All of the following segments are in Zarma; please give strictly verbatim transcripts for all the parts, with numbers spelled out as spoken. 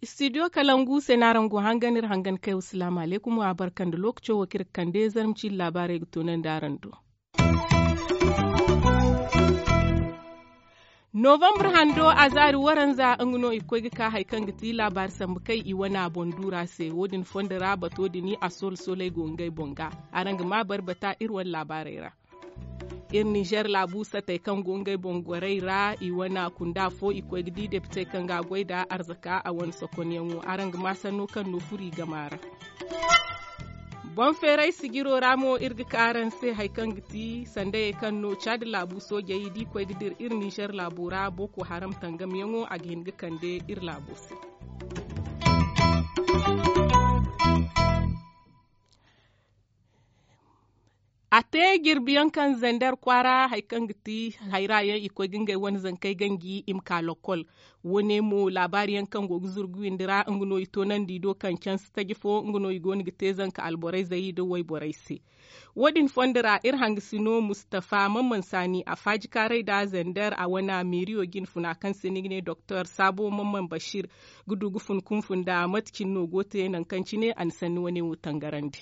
Istidiyo kalangu se no araŋ go hangan iri hangan kay wa salaamu alaykum wa barka nda lookaco wo kaŋ iri ga kande zarma ciine laabaarey ga toonandi araŋ do. Novambar hando a zaari waranza nga no i ga koy ga ka hari kaŋ ga ti laabaari sambu kay i wane a boŋ duura se wo- din fondo ra bato din a soolo sooley go ngey boŋ ga. Araŋ ga maa bari bata iri wane laabaarey ra. Iri ninzeer laabu satey kaŋ go ngey boŋ gorey ra i wane kunda fo i koy ga di depitey kaŋ ga a goy nd'a arzaka a wane sokonyaŋo araŋ ga maa sanno kaŋ no furo i gama ra. Boŋ feeray sijiro ra mo iri ga ka araŋ se hari kaŋ ga ti sandayey kaŋ no caadi laabu soojey da i koy ga dira iri ninzeer laabu ra boko haram tangamyaŋo a ga hin ga kande iri laabo se. A te jirbiyaŋ kaŋ zander kwaara hari kaŋ ga ti hayra yaŋ i koy ga ngey wane zankey ganji i ma ka lokkol. Wo- ne mo laabaari yaŋ kaŋ go ga zuru ga windi ra nga no i toonandi do kaŋ canse taji fo nga no i go no ga te zanka alborayzey nda wayborey se. Wo- din fondo ra iri hangasino mustafa mamman saani a faajikaaray nda zander a wane meeriyo jinfuna kaŋ se ni ga ne doktor saabo mamman bashir ga du ga fun kunfu nda mate cine no go te nangu kaŋ cine a na sanni wane wo tangarandi.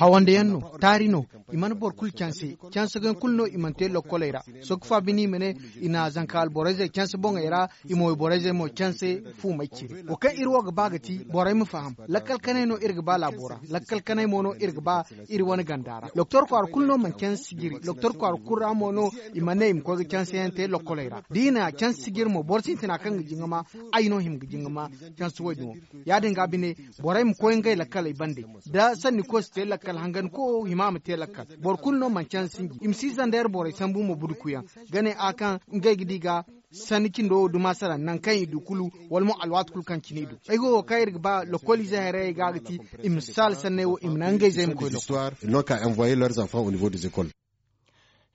Hawande yaŋ no, taari no. I mana boro kulu canse. Canse yaŋ kulu no i mana te lokkoley ra. Soogu fa bine i ma ne i na zanka alborayzey canse boŋey ra, i ma wayborayzey mo canse fuumey cire. Wo kaŋ iri wo ga ba ga ti borey ma faham. Lakkal kanay no iri ga ba laabo ra. Lakkal kanay mo no iri ga ba iri wane ganda ra. Doktor kwaara kulu no mana canse sijiri. Doktor kwaara kulu ra mo no i mana ne i ma koy ga canse yaŋ te lokkoley ra da i na canse sijiri mo boro sintina kaŋ ga jingama. Ay no hima ga jingama canse wo- din wo. Ya- din ga bine, borey ma koy ngey lakkaley bande. Da sanni koy si te lakkal hangan koyo hima ma te lakkal. Boro kulu no mana canse sinji i ma si zandeer borey sambu ma budukuyaŋ. Ga ne a kaŋ ngey ga di ga sanni cindo wo duma sara nangu kaŋ i du kulu, wala mo alwaati kulu kaŋ cine i du. Ay go wo kaŋ iri ga ba lokoliizey haray ga ga ti i ma saala sanney wo i ma naŋ ngey zey ma koy lokol.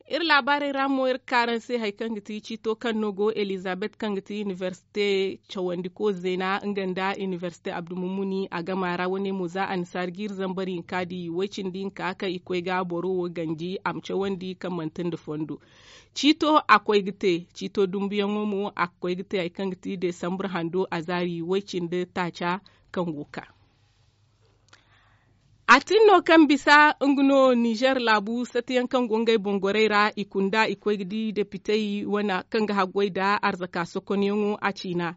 Iri laabaarey ra mo iri ga ka araŋ se hari kaŋ ga ti ciito kaŋ no go elizabet kaŋ ga ti inibersite cawandiko zeena nga nda inibersite abdulmumuni a gama ra wane mo za annasaari ga iri zambar hinka di way cindi hinka kaŋ i koy ga boro wo ganji a ma cawandi kaŋ manti nda fondo. Ciito a koy ga te ciito dumbuyaŋo mo a ga koy ga te hari kaŋ ga ti desambur hando a zaari way cindi taaca kaŋ go ga ka. A tin no kaŋ bisa nga no nizer laabu satiyaŋ kaŋ go ngey boŋ gorey ra i kunda i koy ga di depitey wane kaŋ ga haggoy nda arzaka sokonyaŋo a ciina.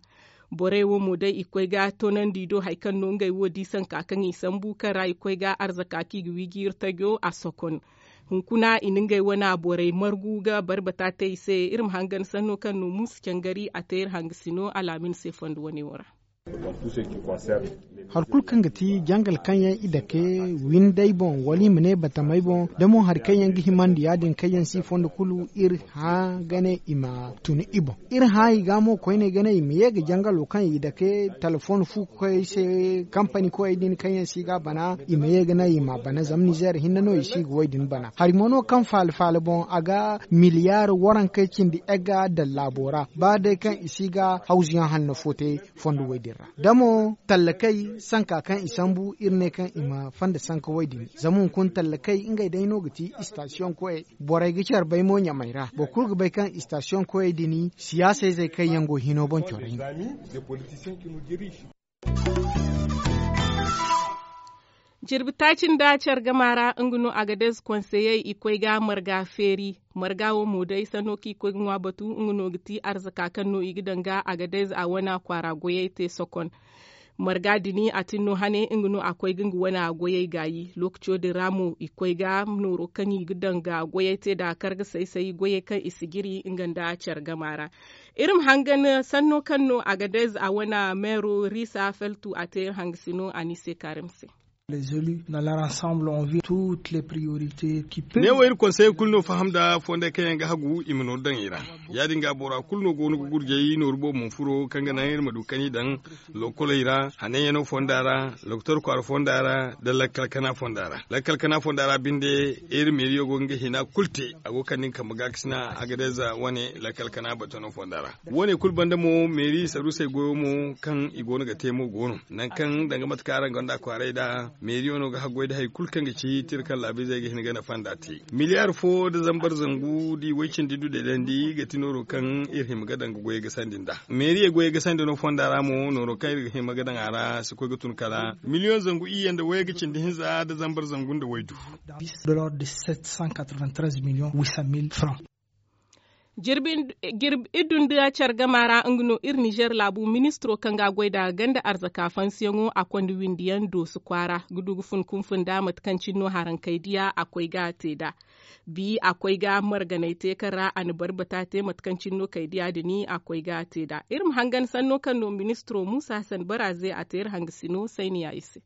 Borey wo mo day i koy ga toonandi do hari kaŋ no ngey wo di sanka kaŋ i sambu kaŋ ra i koy ga arzaka kaŋ i ga wiiji iri tajo a sokon. Hunkuna i na ngey wane borey margu ga barbata te i se. Iri ma hangan sanno kaŋ no muusu cangari a te iri hangasino alaamin se fondo wane wo ra. Hari kulu kaŋ ga ti jangal kaŋ yaŋ i dake windey boŋ wala i ma ne batamey boŋ da mo hari kaŋ yaŋ ga himandi ya- din kaŋ yaŋ si fondo kulu iri hã ga ne i ma tun i boŋ. Iri hã i ga mo koyne ga ne i ma ye ga jangalo kaŋ i dake talafon fu koy se kampani koyey din kaŋ yaŋ si ga bana i ma ye ga ne i ma bana zama nizer hinne no i si ga wo- din bana hari mo no kaŋ faala faala boŋ a ga miliyar warankey cindi egga daŋ laabo ra ba day kaŋ i si ga hawzuyaŋ hanno fo te fondo wo- din ra da mo tallakey sanka kaŋ i sambu iri ne kaŋ i ma fanda sanka wo- din zama hunkuna tallakey ngey day no ga ti istasiyoŋ koyey. Borey ga care bay mo ɲamey ra boro kulu ga bay kaŋ istasiyoŋ koyey din siyaasayzey kaŋ yaŋ go hino boŋ corey no. Jirbi taaci nda care gama ra nga no agadez konseyey i koy ga marga feeri. Marga wo mo day sanno kaŋ i koy ga ŋwa batu nga no ga ti arzaka kaŋ no i ga daŋ ga agadez a wane kwaara goyey te sokon. Marga din a tin no hane nga no a koy ga nga wane goyey gaayi lookaco din ra mo i koy ga nooro kaŋ i ga daŋ ga goyey te nda kar ga say say goyey kaŋ i si jiri nga nda care gama ra. Iri ma hangan sanno kaŋ no agadez a wane meero risa feltu a te iri hangasino a ni se kaarim se. Les élus dans leur ensemble ont vu toutes les priorités qui peuvent. Ne wo iri konseye kulu no faham nda fonday kaŋ yaŋ ga hagu i ma nooru daŋ i ra. Ya- din ga bora kulu no go no ga gurjay nooru boobo ma furo kaŋ ga naŋ iri ma du kaŋ i daŋ lokoley ra, hananyaŋo fonda ra, lokotor kwaara fonda ra, nda lakkal kana fonda ra. Lakkal kana fonda ra binde, iri meeriyo go ga nga hina kulu te. A go ga kande nga kambe gaakasina, agadez wane lakkal kana batano fonda ra. Wo- ne kulu banda mo meeri saruusey goyo mo kaŋ i go no ga te mo go no, nangu kaŋ danga mate kaŋ araŋ gonda kwaaray nd'a, meeriyo no ga haggoy nda hari kulu kaŋ ga ci tira kaŋ laabiizey ga hin ga nafa nd'a te. Miliyaar fo nda zambar zangu da i way cindi du deedandi ga ti nooro kaŋ iri hima ga daŋ ga goyey ga sandi nd'a. Meeriyey goyey ga sandi no fonda ra mo nooro kaŋ iri ga hima ga daŋ a ra si koy ga tun kala miliyoŋ zangu iyye nda wayye ga cindi hinza nda zambar zangu nda waydu. De l'ordre de sept cent quatre-vingt-treize millions huit cent mille francs. Jirbi iddu nda care gama ra nga no iri nizer laabu ministiro kaŋ ga a goy nda ganda arzaka fansiyaŋo a konda windiyaŋ dooso kwaara ga du ga fun kunfun nda mate kaŋ cine no haraŋ kay diya a koy ga a te nd'a. Bi a koy ga marganay te kaŋ ra a na barbata te mate kaŋ cine no kay diya din a koy ga a te nd'a. Iri ma hangan sanno kaŋ no ministiro muusa hasan baraaze a te iri hangasino sayniya i se.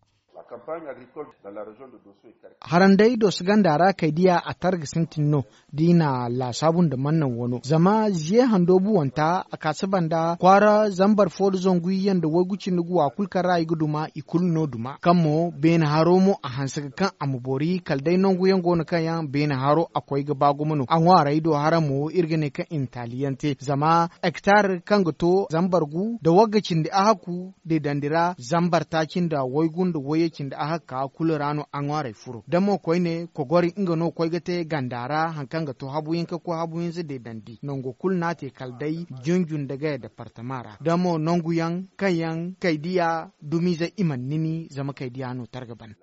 Haranday dooso ganda ra kay diya a targa sintin no. Da i na laasaabu nda mannaŋ wano zama ziye hando buwanta a kaasaba nda kwaara zambar fo nda zangu iyye nda waygu cindi guwa kulu kaŋ ra i ga duma i kulu no duma kaŋ mo beene haro mo a hanse ga kaŋ a ma boori kala day nangu yaŋ go no kaŋ yaŋ beene haro a koy ga ba gumo no a ŋwaaray do hara mo iri ga ne kaŋ i na taali yaŋ te zama hektar kaŋ ga to zambar gu nda wagga cindi a hakku deedandi ra zambar taaci nda waygu nda wayye cindi a hakka kulu ra no a ŋwaaray furo da mo koyne kogori nga no koy ga te ganda ra hari kaŋ ga to habu hinka koy habu hinza deedandi nango kulu no a te kala day junjun nda gaya departama ra da mo nangu yaŋ kaŋ yaŋ kay diya dumiize i mana nini zama kay diya no targa ban.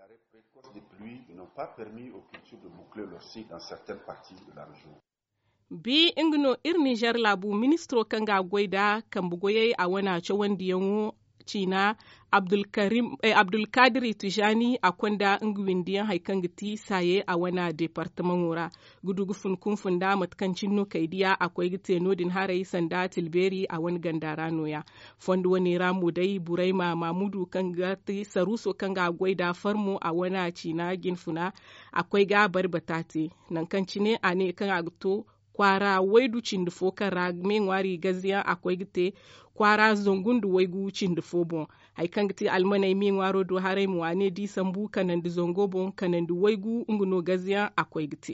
Bi nga no iri nizer laabu ministiro kaŋ ga a goy nda kambe goyey a wana cawandiyaŋo ciina abdulkaadiri tijaani a konda nga windiyaŋ hari kaŋ ga ti saaye a wana departamaŋo ra ga du ga fun kunfun nda mate kaŋ cine no kay diya a koy ga te no- din haray sanda tilbeeri a wane ganda ra nooya. Fondo wane ra mo day burayma maamudu kaŋ ga ti saruuso kaŋ ga a goy nda farmo a wane ciina jinfuna a koy ga a bari bata te. Nangu kaŋ cine a ne kaŋ a ga to kwaara waydu cindi fo kaŋ ra meeŋwaari gaziyaŋ a koy ga te kwaara zangu nda waygu cindi fo boŋ. Hari kaŋ ga ti almaney meeŋwaaro do haray mo a ne da i sambu kanandi zango boŋ kanandi waygu nga no gaziyaŋ a koy ga te.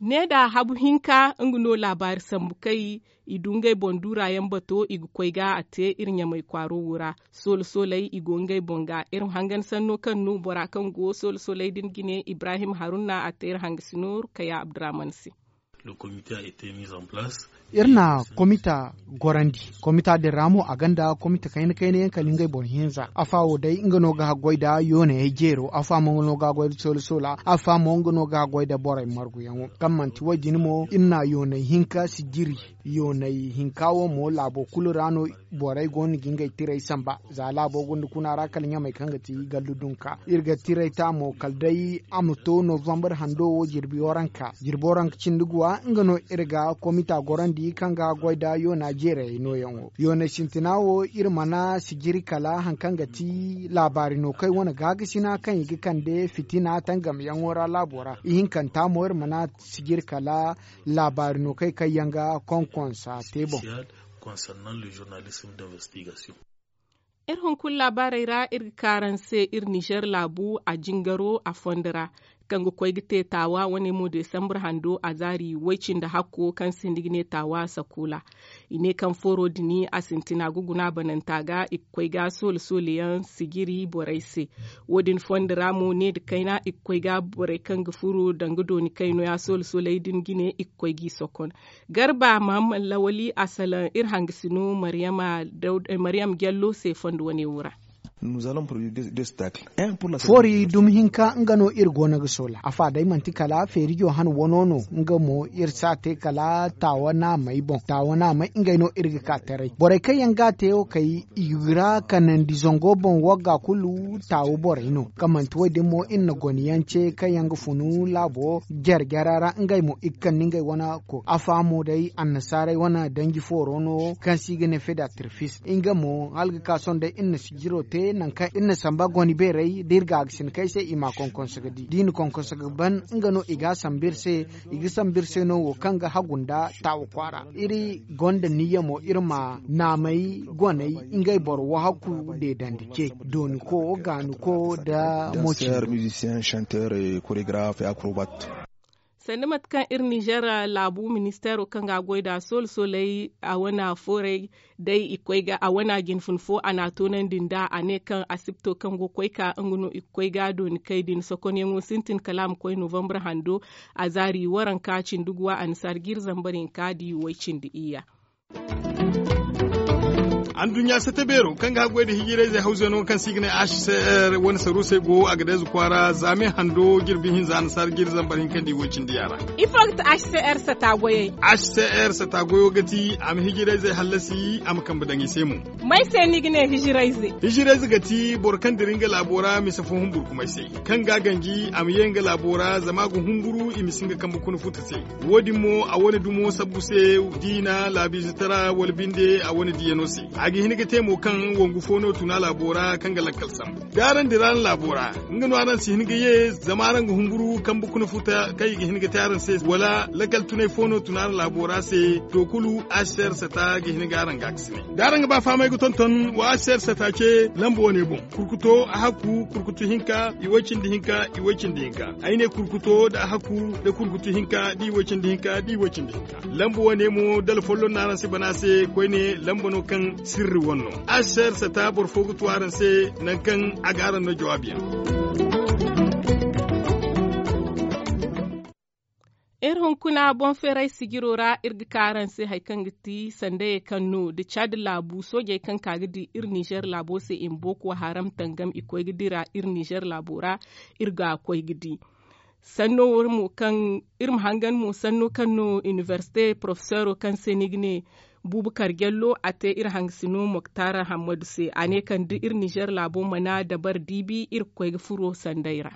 Ne da habu hinka nga no laabaari sambu kay i du ngey boŋ duura yaŋ bato i ga koy ga a te iri ɲamay kwaaro wo ra. Soola sooley i go ngey boŋ ga iri ma hangan sanno kaŋ no bora kaŋ go soola sooley din ga ne ibrahim haruna a te iri hangasino rukaya abdurahman se. Iri na komita gorandi. Komita din ra mo a gonda komita kayna kayna yaŋ kala ngey boro hinza afa wo day nga no ga haggoy nda yoonayey jeero afa mo nga no ga haggoy nda soola soola afa mo nga no ga haggoy nda borey marguyaŋo kaŋ manti wo- din mo iri na yoonay hinka sijiri. Yoonay hinka wo mo laabo kulu ra no borey go no ga ngey tirey samba. Za laabo gunda kuna ra kala ɲamey kaŋ ga ti gallu dunka iri ga tirey ta mo kala day a ma to novambar hando wo jirbi waranka jirbi waranka cindi guwa nga no iri ga komita gorandi kaŋ ga goy nda yoona jeerayey nooyaŋo yooney sintina wo iri mana sijiri kala hari kaŋ ga ti laabaari no kaŋ ay wane gaakasina kaŋ i ga kande fitina tangamyaŋo ra laabo ra ihinkanta mo iri mana sijiri kala laabaari no kaŋ ay kaŋ yaŋ ga konkonsa te boŋ. Concernant le journalisme d'investigation. Iri hunkuna laabaarey ra iri ga ka araŋ se iri nizer laabu a jingaro a fondo ra kaŋ ga koy ga te taawa wane mo desambar hando a zaari way-cindi hakko kaŋ se ni ga ne taawa sakuula. I ne kaŋ fooro din a sintina ga guna bananta ga i ga koy ga soole soole yaŋ sijiri borey se. Wo- din fondo ra mo ne nda kayna i ga koy ga borey kaŋ ga furo danga dooni kayno ya soole sooley din ga ne i ga koy g'i sokon. Garba mahamman lawali a salaŋ iri hangasino maryam jallo se fondo wane wo ra. Foori dumi hinka nga no iri goono ga soola a fa day manti kala feerijo han wano no. Nga mo iri si a te kala taawa naamey boŋ taawa naamey ngey no iri ga ka taray borey kaŋ yaŋ ga a te wo kay i ra kanandi zango boŋ wagga kulu taawa borey no kaŋ manti wo- din mo iri na gone yaŋ ce kaŋ yaŋ ga funu laabo jare jara ra ngey mo i ga kande ngey wane ko a fa mo day annasaarey wane danji fooro no kaŋ se i ga ne fedatirfis nga mo hala ga ka sohõ day iri na sijiro te nangu kaŋ iri na samba gone beerey da iri ga a ga sina kay se i ma a konkonso ga di da i na konkonso ga ban nga no i ga a sambu iri se. I ga sambu iri se no wo kaŋ ga hagu nda taawa kwaara iri gonda niyya mo iri ma naamey goney ngey boro wo hakku deedandi ce dooni ko gaani ko nda mo cindi. Sanni mate kaŋ iri nizer laabu ministeero kaŋ ga a goy nd'a soolo sooley a wane fooray day i koy ga a wane jinfun fo a n'a toonandi nd'a a ne kaŋ asibto kaŋ go ga koy ka nga no i ga koy ga dooni kay din sokonyaŋo sintin kala a ma koy novambre hando. A zaari waranka cindi guwa annasaara jiiri zambar hinka da i way cindi iyya. Anduɲɲa sata beero kaŋ ga haggoy nda hijirayzey hawzey no kaŋ se i ga ne h c r wane saruusey go a ga dayze kwaara zaame hando jirbi hinza annasaara jiiri zambar hinka nda i way cindi yaara. Ifo ga ti h c r sata goyey? H c r sata goyo ga ti a ma hijirayzey hallasi a ma kambe daŋ i se mo. May se no i ga ne hijirayze? Hijirayze ga ti boro kaŋ dira nga laabo ra mise fo humburkumay se kaŋ ga a ganji a ma ye nga laabo ra zama a ga humburu i ma si nga kambe kuna futa se. Wo- din mo a wane dumo sabbu se da i na laabiizitara wala binde a wane diyano se. A ga hin ga te mo kaŋ wangu fo no tuna laabo ra kaŋ ga lakkal sambu da araŋ dira araŋ laabo ra. Nga no araŋ si hin ga ye zama araŋ ga humburu kambe kuna futa kaŋ i ga hin ga te araŋ se wala lakkal tunay fo no tuna araŋ laabo ra se. To kulu asser sata ga hin ga araŋ ga a ga si ne da araŋ ga ba fahamay ga tonton wa asser sata ce lamba wane boŋ. Kurkuto a hakku kurkutu hinka i way cindi hinka i way cindi hinka. Ay ne kurkuto da a hakku da kurkutu hinka da i way cindi hinka da i way cindi hinka. Lamba wane mo da alfollon no araŋ si bana se koyne lamba no kaŋ sirri wane no. Asser sata boro fo ga tu araŋ se nangu kaŋ a ga araŋ no jawaabiyaŋ. Iri hunkuna boŋ feeray sijiro ra iri ga ka araŋ se hari kaŋ ga ti sandayey kaŋ no da caadi laabu soojey kaŋ ka ga di iri ninzeer laabo se i ma booko haram tangam i koy ga dira iri ninzeer laabo ra. Iri ga koy ga di sanno wo mo kaŋ iri ma hangan mo sanno kaŋ no inibersite porofeseero kaŋ se ni ga ne buubakar jallo a te iri hangasino moktar hammadu se a ne kaŋ da iri ninzeer laabo mana dabari diibi iri ga koy ga furo sanday ra.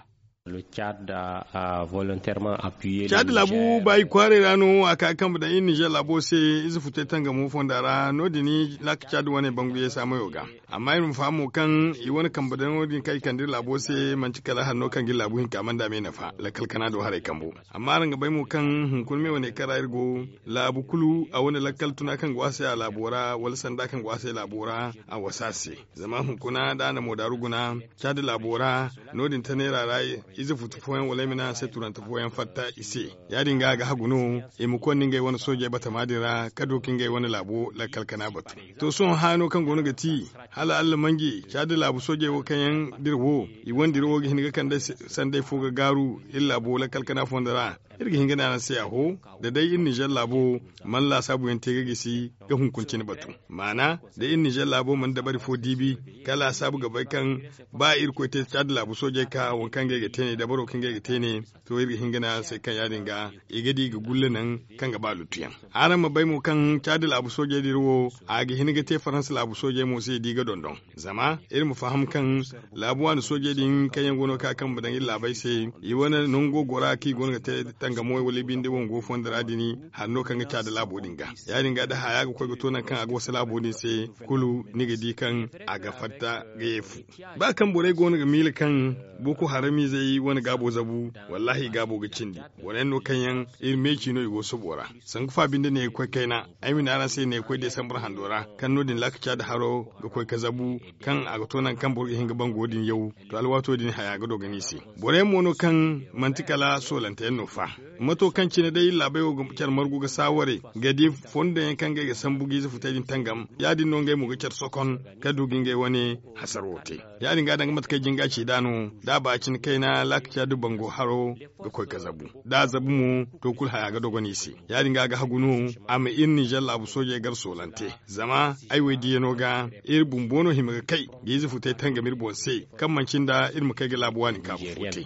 Caadi laabu baayi kwaaray ra no a ka ga kambe daŋ iri ninzeer laabo se. Ize futay tangamo fonda ra no- din laaka caadi wane bangu yeesa mayo ga. Amma iri ma faham mo kaŋ i wane kambe daŋo din kaŋ i kande iri laabo se manti kala hanno kaŋ ga iri laabu hinka manda me nafa lakkal kana do haray kambo. Amma araŋ ga bay mo kaŋ hunkuna me wane kaŋ ra iri go laabu kulu a wane lakkal tuna kaŋ ga waasay a laabo ra wala sanda kaŋ ga waasay laabo ra a wasa a se. Zama hunkuna da a na moodaaru guna caadi laabo ra no- din ta neera ra ize futu fooyaŋ wala ay ma ne araŋ se turante fooyaŋ fatta i se. Ya- din ga a ga hagu no i ma konda ngey wane soojey batama din ra ka du ka ngey wane laabo lakkal kana batu. To sohõ haano kaŋ go no ga ti hala allah manje caadi laabu soojey wo kaŋ yaŋ dira wo i wane dira wo ga hin ga kande sanday fo ga gaaru iri laabo lakkal kana fondo ra. Iri ga hin ga ne araŋ se aho da day iri ninzeer laabo mana laasaabu yaŋ te ga gisi ga hunkuna cine batu. Maana da iri ninzeer laabo mana dabari fo diibi ka laasaabu ga bay kaŋ ba irkoy te caadi laabu soojey ka waŋ kaŋ ngey ga te ne dabaro kaŋ ngey ga te ne. To iri ga hin ga ne araŋ se kaŋ ya- din ga i ga di i ga gulle naŋ kaŋ ga ba luttuyaŋ. Araŋ ma bay mo kaŋ caadi laabu soojey dira wo a ga hin ga te faransa laabu soojey mo se da i ga dondon. Zama iri ma faham kaŋ laabu waani soojey din kaŋ yaŋ go no ga ka kambe daŋ iri laabey se i wane nango gora kaŋ i go no ga te tangamo wala i binde wango fondo ra din. Hari no kaŋ ga caadi laabo din ga ya- din ga da haya ga koy ga to nangu kaŋ a ga wasa laabo din se kulu ni ga di kaŋ a ga fatta ga ye fu. Ba kaŋ borey go no ga miila kaŋ boko haramiizey wane gaabo zabu wallaahi i gaabo ga cindi. Boro yaŋ no kaŋ yaŋ iri meeci no i go sobo ra. Sanku fa binde ne ga koy kayna ay ma ne araŋ se ne ga koy desambar hando ra kaŋ no- din laaka caadi haro ga koy ga zabu kaŋ a ga to nangu kaŋ boro ga hin ga bango din yaw. To alwaato din haya ga dogon i se. Boro yaŋ mo no kaŋ manti kala soolante yaŋ no fa. Mato kaŋ cine day iri laabey wo ga care margu ga saawaray ga di fondo yaŋ kaŋ ngey ga sambu ga ize futey din tangam ya- din no ngey mo ga care sokon ka du ga ngey wane hasaro te. Ya- din ga danga mate kaŋ ay jin ga ci nd'a no da a ba cine kayna laaka caadi bango haro ga koy ga zabu da a zabu mo to kulu haya ga dogon i se. Ya- din ga a ga hagu no a ma iri ninzeer laabu soojey gar soolante zama ay wo ay diyano ga iri Bumbo no hima ga kay ga ize futay tangam iri boŋ se, kaŋ manci nda iri ma kay ga laabu waani kaabu fo te.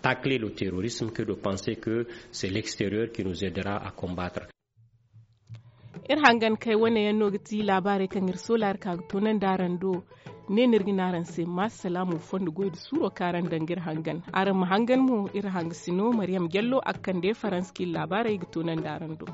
Tacler le terrorisme que de penser que c'est l'extérieur qui nous aidera à combattre. Iri hangan kay wane yaŋ no ga ti laabaarey kaŋ iri soolaari ka ga toonandi araŋ do. Ne no iri ga ne araŋ se ma salaamu fondo goy da suuro kaŋ araŋ daŋ ga iri hangan. Araŋ ma hangan mo iri hangasino mariyam jallo a ga kande faransa kaŋ iri laabaarey ga toonandi araŋ do.